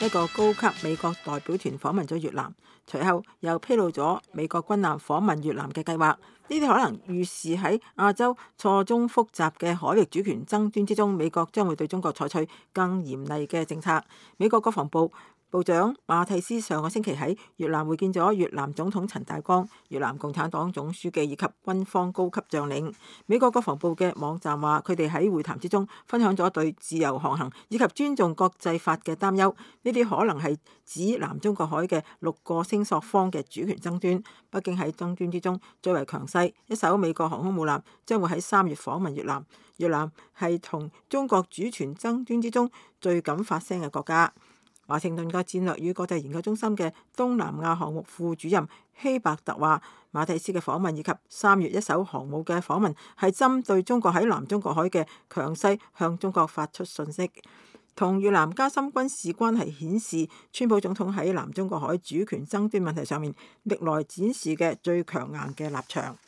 一個高級美國代表團訪問咗越南，隨後又披露咗美國軍艦訪問越南嘅計劃。呢啲可能預示喺亞洲錯綜複雜嘅海域主權爭端之中，美國將會對中國採取更嚴厲嘅政策。美國國防部部長馬蒂斯上個星期喺越南會見咗越南總統陳大光、越南共產黨總書記以及軍方高級將領。美國國防部嘅網站話，佢哋喺會談之中分享咗對自由航行以及尊重國際法嘅擔憂。呢啲可能係指南中國海嘅6個聲索方嘅主權爭端。北京喺爭端之中最為強勢，一艘美國航空母艦將會喺3月訪問越南。越南係同中國主權爭端之中最敢發聲嘅國家。華盛頓嘅戰略與國際研究中心嘅東南亞項目副主任希伯特話，馬蒂斯嘅訪問以及3月一艘航母嘅訪問係針對中國喺南中國海嘅強勢向中國發出訊息。同越南加深軍事關係顯示，川普總統喺南中國海主權爭端問題上面歷來展示嘅最強硬嘅立場。